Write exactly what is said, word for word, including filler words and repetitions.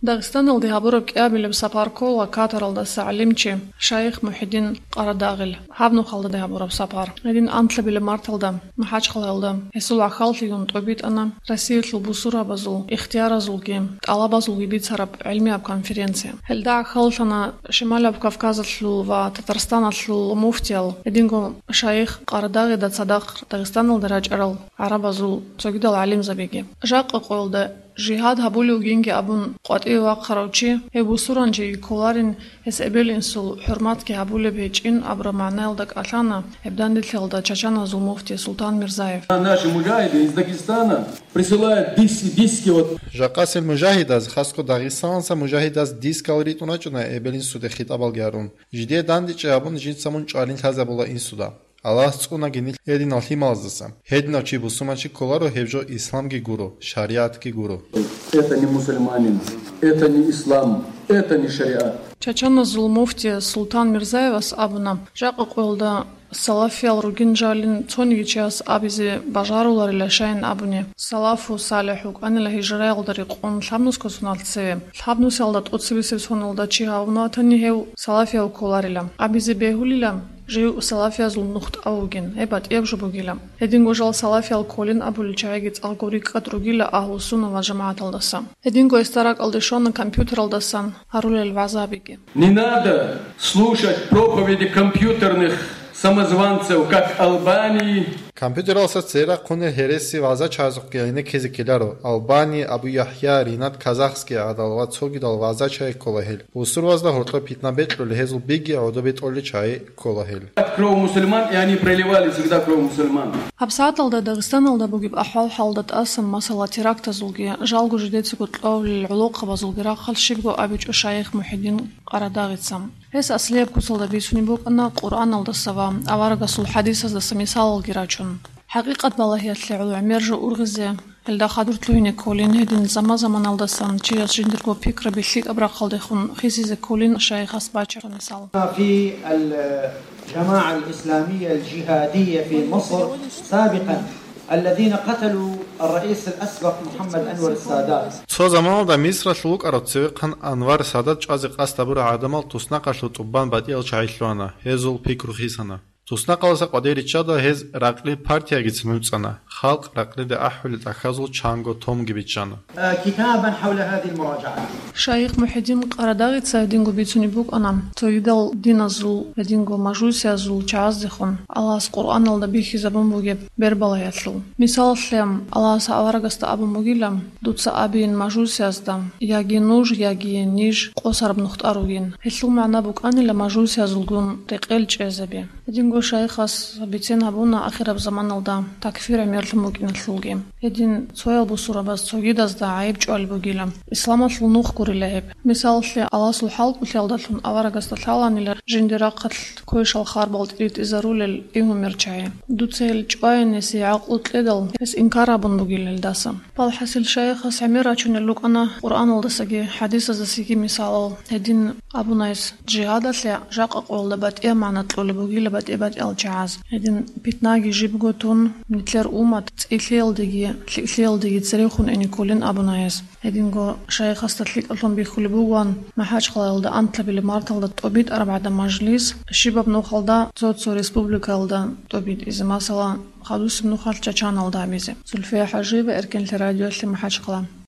Дагъистаналде гьабураб кӀиабилеб сапар ккола Катаралдаса гӀалимчи шайих Мухьидин Къарадагъил. Гьаб нухалда гьабураб сапар. Гьедин анлъабилеб марталда МахӀачхъалаялда гьесул гӀахьаллъигун тӀобитӀана Россиялъул бусурабазул ихтияразулги тӀалабазулги бицараб гӀилмияб конференция. Гьелда гӀахьаллъана Шималаб Кавказалъул ва Татарстаналъул муфтиял, гьединго шайих Къарадагъида цадахъ Дагъистаналда рачӀарал гӀарабазул цогидал гӀалимзабиги. Жакъа къоялда жигьад гьабулев вугинги абун къватӀиве вахъарав чи, гьев бусурбанчиги кколарин, гьес эбел-инсул хӀурматги гьабулеб гьечӀин абураб магӀнаялда кӀалъана гьеб данделъиялда чачаназул муфти Султан Мирзаев. Наши муджахиды из Дагестана присылают дис-, диски, вот. Жакъасел мужагьидаз, хасго Дагъистаналдаса мужагьидаз дискал ритӀун рачӀуна эбел-инсуде хитӀабалги гьарун. Жидее дандечӀей гьабун, жинца мун чӀвалин лъазабула инсуда. Аллагьас цӀунаги нилъ гьединал лъималаздаса. Гьединав чи бусурманчи кколаро, гьеб жо исламги гуро, шаригӀатги гуро. Это не мусульманин, это не ислам, это не шариат. Чачаназул муфти Султан Мирзаевас абуна, жакъа къоялда салафиял ругин жалин цониги чияс абизе бажаруларила, щайин абуни, салафу салихӀ вукӀанила гьижраялда рекъон лъабнусго соналъ цеве. Лъабнусиялда тӀоцебесеб соналда чи гьавун ватани, гьев салафияв кколарила. Абизе бегьулила, жив салафиязул нухтӀав вугин, гьеб батӀияб жо бугила. Гьединго жал салафиял кколин абулел чагӀиги цӀакъго рикӀкӀад ругила Агьлу-сунна вал жамагӀаталдаса. Гьединго гьесда ракӀалде щвана компьютералдасан гьарулел вагӀзабиги. Не надо слушать проповеди компьютерных самозванцев, как Албании. Компьютералдаса цере рахъунел гьереси вагӀзачагӀазухъе гӀенеккизе ккеларо. Албани, Абу ЯхӀя, Ринат Казахский гӀадал ва цогидал вагӀзачагӀи ккола гьел. Бусурбабазда гьоркьоб питна бекьулел, гьезул биги гӀодобе тӀолел чагӀи ккола гьел. От крови мусульман, и они проливали всегда кровь мусульман. ГьабсагӀаталда Дагъистаналда бугеб ахӀвал-хӀалда тӀасан, масала, терактазулги, жалго жидецаго кьолел гӀолохъабазулги рахъалъ щибго абичӀо шайих Мухьидин Къарадагъица. Гьес аслияб куцалда бицунеб букӀана Къуръаналдаса ва аварагасул хӀадисаздаса мисалалги рачун. ХӀакъикъат балагьиялъе гӀоло гӀемер жо ургъизе, гьелда хадур лъугьине кколин, гьедин заман-заманалдасан чияс жиндирго пикраби лъикӀаб рахъалдехун хисизе кколин шайихас бачӀараб мисал. في الجماعة الإسلامية الجهادية في مصر سابقا الذين قتلوا الرئيس الأسبق محمد أنور السادات. Цо заманалда Мисралъул вукӀарав цевехъан Анвар Садат чӀвазе къасд гьабурал гӀадамал туснахъалъув тӀубан батӀиял чагӀи лъугьана, гьезул пикру хисана. Туснахъалдаса къватӀире риччалда гьез ракълил партиягицин вуцӀцӀана, халкъ ракълида ахӀулел тӀахьазул чанго томги биччана. آه، كتابا حول هذه المراجعة. Шайих Мухьидин Къарадагъица гьединго бицунеб букӀана, цогидал диназул, гьединго мажусиязул чагӀаздехун Аллагьас Къуръаналда бихьизабун бугеб бербалагьиялъул. Мисалалъе, Аллагьас аварагасда абун бугила, дуца абейин мажусиязда, яги нуж, яги ниж къосараб нухтӀа ругин. Гьелъул магӀна букӀанила мажусиязулгун рекъел чӀезаби. Гьединго шайихас бицен гьабуна ахираб заманалда такфир гӀемерлъун букӀиналъулги. Гьедин цоял бусурбабаз цогидазда гӀайиб чӀвалеб бугила. Исламалъул нух гурила гьеб. Мисалалъе, Аллагьасул хӀалкӀолъиялдалъун аварагасда лъаланила жиндир рахъалъ квешал харбал тӀиритӀизарулел и гьумер чагӀи. Дуца гьел чӀваянесе гӀакълу кьедал, гьес инкар гьабун бугила гьелдаса. Балхасил шайихас гӀемер рачунел рукӀана Къуръаналдасаги хӀадисаздасаги мисалал. Гьедин абуна гьес, жигьадалъе жакъа къоялда батӀияб магӀна кьолеб бугила батӀи-батӀиял чагӀаз. Гьедин питнаги жибго тун, нилъер уммат цӀилъиялдеги лъикӀлъиялдеги церехун ине кколин абуна гьес. Гьединго шайихасда лъикӀаблъун бихьулеб бугоан МахӀачхъалаялда анлъабилеб марталда тӀобитӀараб гӀадаб мажлис, щибаб нухалда цо-цо республикаялда тӀобитӀизе, масала, хадусеб нухалъ Чачаналда гьабизе. Зульфия ХӀажиева, Эркенлъи радиоялъе, МахӀачхъала.